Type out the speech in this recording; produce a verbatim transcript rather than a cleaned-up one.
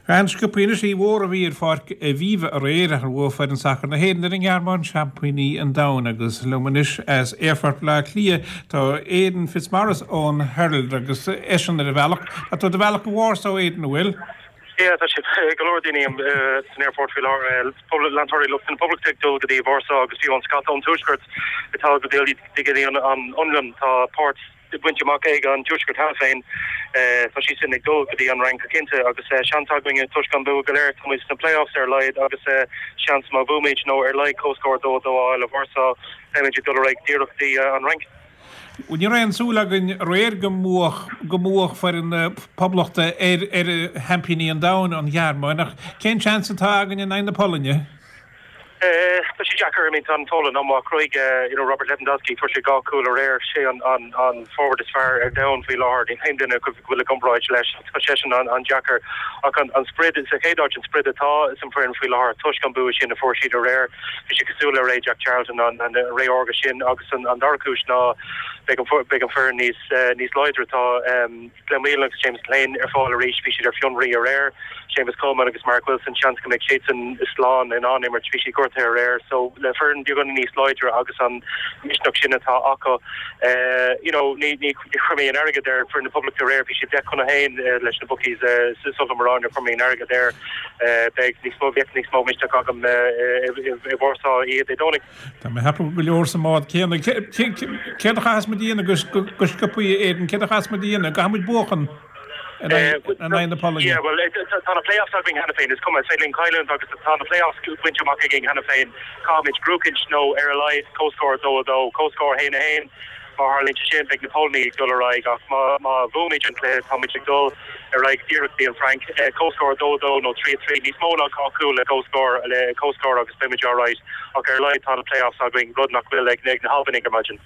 An-sciobtha anois oíche mhór a bhí ar Pháirc Aviva aréir ar bhuaigh foireann sacair na hÉireann ar an nGearmáin seaimpíní an domhain agus liom anois as Aerfort Bhaile Átha Cliath tá Aidan Fitzmaurice ón Herald agus eisean ar a bhealach. Tá tú ar do bhealach go Warsaw Aidan an bhfuil? Yeah, tá sé go leor daoine san aerfort faoi láthair leantóirí lucht na Poblachta ag dul go dtí Warsaw agus fiú an scata ón tuaisceart atá go dtí go dtí an Fhionlainn tá páirt bainte amach ag an tuaisceart cheana féin tá siad sin ag dul go dtí an Fhrainc go cinnte agus seans againn toisc an bua go léir tá sna playoffs ar a laghad agus seans má bhuaimid nó ar a laghad comhscór dó dó le Warsaw beimid ag dul ar aghaidh díreach dtí an Fhrainc. Ní raibh aon súil againn aréir go mbuafadh go mbuafadh foireann na Poblachta ar ar sheaimpíní an domhain an Ghearmáin ach cén seans atá againn in aghaidh na Polainne? Tá sé deacair I mean tá an Pholainn an-mhaith chruthaigh you know Robert Lewandowski fuair sé dhá chúl aréir sé an an an forward is fearr ar domhan faoi láthair níl aon duine go bhfuil i gcomparáid leis tá seisean an an deacair ach an an sprid sa chéad áit an sprid atá san fhoireann faoi láthair toisc an bua sin a fuair siad aréir bhí sé cosúil le ré Jack Charlton an an ré órga sin agus an an dara cúis ná beidh an beidh an foireann níos níos láidre tá um, Glenn Whelan agus James Lane ar fáil arís bhí siad ar fionraí aréir Seamus Coleman agus Mark Wilson seans go mbeidh siadsan slán in ann imirt bhí siad gortaithe aréir so le foireann beagán níos láidre agus an misneach sin atá acu uh, you know ní ní chuir mé an airgead ar foireann na Poblachta aréir bhí siad deich chun a haon uh, leis na bookies uh, sul mar chuir mé an airgead air uh, beidh níos mó bheadh níos mó misneach agam i Warsaw iad é dónig. Tá mé ag ceapadh go leor sa mbád céanna céard a chaithfeas muid a dhéanamh go sciobtha Aidan céard a chaithfeas muid a dhéanamh caithfidh muid buachan in aghaidh na Polainne. Yeah, well tá na playoffs againn cheana féin is cuma linn cailliúint agus tá na playoffs bainte amach againn cheana féin caithfimid buachaint nó ar a laghad comhscór dó dó comhscór haon a haon má tharlaíonn sin beidh na Polainne dul ar aghaidh ach má má bhuaimid an cluiche táimid ag dul ar aghaidh díreach dtí an Fhrainc comhscór dó dó nó trí trí níos mó ná dhá chúl le comhscór le comhscór agus beimid alright ach ar a laghad tá na playoffs againn rud nach bhfuil ag ag na hAlbanaigh ar maidin.